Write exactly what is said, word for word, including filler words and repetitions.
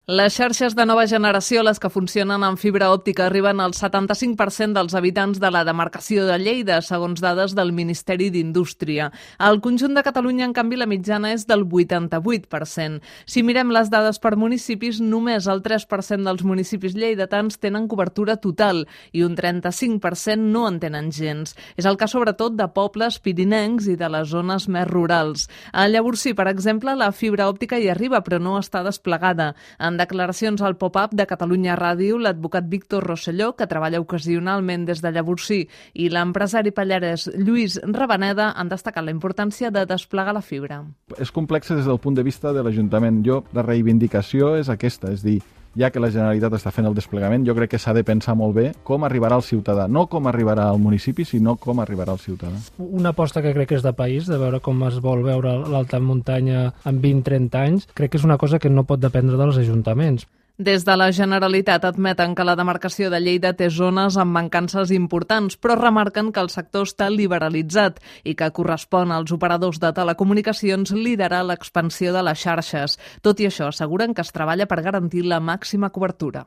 Les xarxes de nova generació, les que funcionen amb fibra òptica, arriben al setanta-cinc per cent dels habitants de la demarcació de Lleida, segons dades del Ministeri d'Indústria. Al conjunt de Catalunya, en canvi, la mitjana és del vuitanta-vuit per cent. Si mirem les dades per municipis, només el tres per cent dels municipis lleidatans tenen cobertura total i un trenta-cinc per cent no en tenen gens. És el cas sobretot de pobles pirinencs i de les zones més rurals. A Llavorsí, per exemple, la fibra òptica hi arriba, però no està desplegada. En declaracions al Pop-up de Catalunya Ràdio, l'advocat Víctor Rosselló, que treballa ocasionalment des de Llavorsí, i l'empresari pallarès Lluís Rabaneda han destacat la importància de desplegar la fibra. És complex des del punt de vista de l'Ajuntament. Jo, la reivindicació és aquesta, és dir, ja que la Generalitat està fent el desplegament, jo crec que s'ha de pensar molt bé com arribarà al ciutadà, no com arribarà al municipi, sinó com arribarà al ciutadà. Una aposta que crec que és de país, de veure com es vol veure l'alta muntanya en vint a trenta anys, crec que és una cosa que no pot dependre dels ajuntaments. Des de la Generalitat admeten que la demarcació de Lleida té zones amb mancances importants, però remarquen que el sector està liberalitzat i que correspon als operadors de telecomunicacions liderar l'expansió de les xarxes. Tot i això, asseguren que es treballa per garantir la màxima cobertura.